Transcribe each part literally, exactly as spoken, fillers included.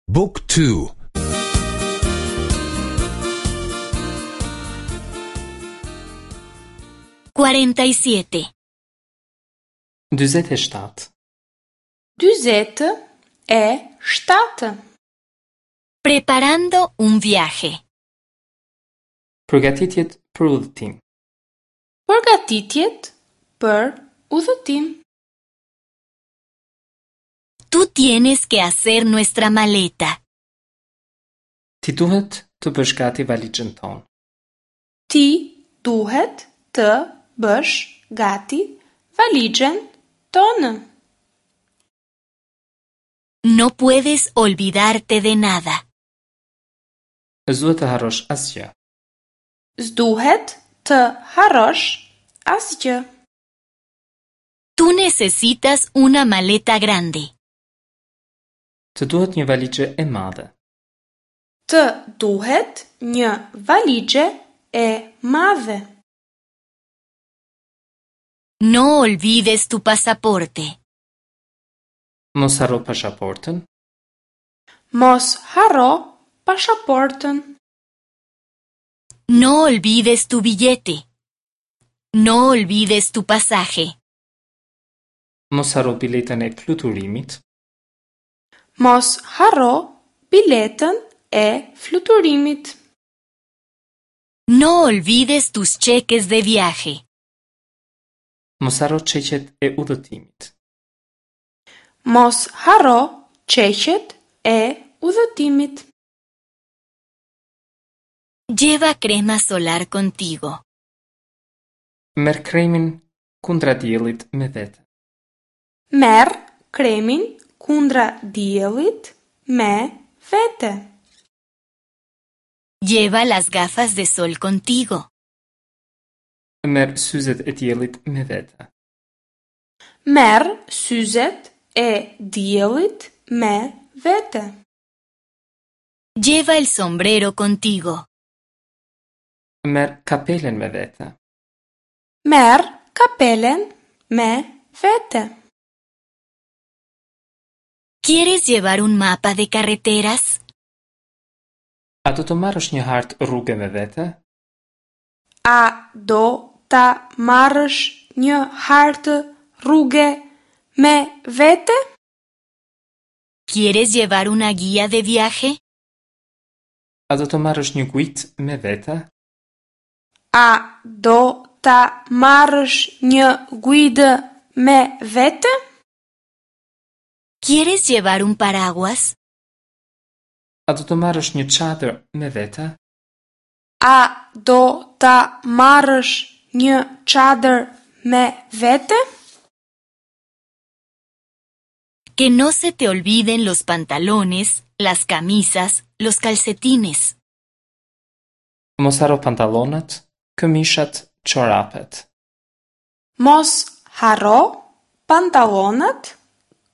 Book two. Cuarenta y siete. Dyzet e shtatë. Dyzet e shtatë. Preparando un viaje. Përgatitjet për udhëtim. Përgatitjet për udhëtim. Tú tienes que hacer nuestra maleta. Ti duhet të bësh gati valixhen tonë. Ti duhet të bësh gati valixhen tonë. No puedes olvidarte de nada. S'duhet të harrosh asgjë. S'duhet të harrosh asgjë. Tú necesitas una maleta grande. Të duhet një valixhe e madhe. Të duhet një valixhe e madhe. No olvides tu pasaporte. Mos harro pasaportën. Mos harro pasaportën. No olvides tu billete. No olvides tu pasaje. Mos harro biletën e fluturimit. Mos harro biletën e fluturimit. No olvides tus cheques de viaje. Mos harro çeqet e udhëtimit. Mos harro çeqet e udhëtimit. Lleva crema solar contigo. Merr kremin kundra diellit me vete. Merr kremin kundra diellit me vete. Lleva las gafas de sol contigo. Merr syzet e diellit me vete. Merr syzet e diellit me vete. Lleva el sombrero contigo. Merr kapelen me vete. Merr kapelen me vete. ¿Quieres llevar un mapa de carreteras? A do të marrësh një hartë rruge me vete? A do ta marrësh një hartë rruge me vete? ¿Quieres llevar una guía de viaje? A do të marrësh një guidë me vete? A do ta marrësh një guidë me vete? ¿Quieres llevar un paraguas? A do të marrësh një çadër me vete? A do ta marrësh një çadër me vete? Que no se te olviden los pantalones, las camisas, los calcetines. Mos harro pantallonat, këmishat, çorapet. Mos harro pantallonat,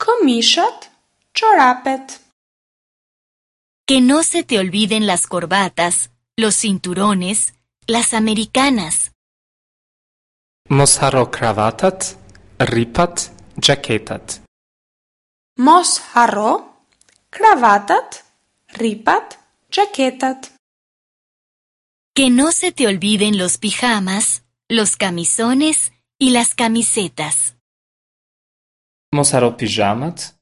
këmishat, çorapet. Que no se te olviden las corbatas, los cinturones, las americanas. Mos harro kravatat, rripat, xhaketat. Mos harro kravatat, rripat, xhaketat. Que no se te olviden los pijamas, los camisones y las camisetas. Mos harro pijamat,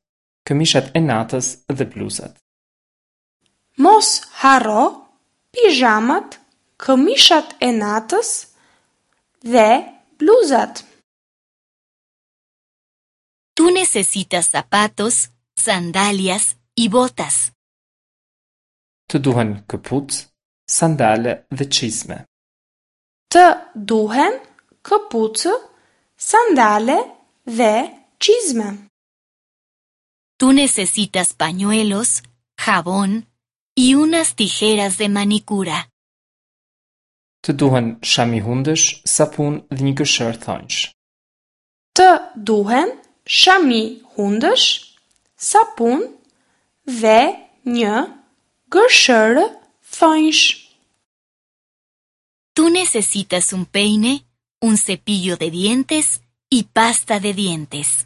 këmishat e natës dhe bluzat. Mos harro pijamat, këmishat e natës dhe bluzat. Tú necesitas zapatos, sandalias y botas. Të duhen këpucë, sandale dhe çizme. Të duhen këpucë, sandale dhe çizme. Tú necesitas pañuelos, jabón y unas tijeras de manicura. Të duhen shami hundësh, sapun dhe një gërshërë thonjsh. Të duhen shami hundësh, sapun dhe një gërshërë thonjsh. Tú necesitas un peine, un cepillo de dientes y pasta de dientes.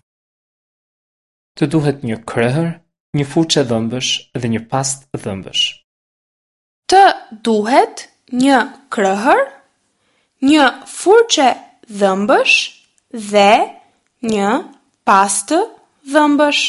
Të duhet një krehër, një furçe dhëmbësh dhe një pastë dhëmbësh. Të duhet një krëhër, një furçe dhëmbësh dhe një pastë dhëmbësh.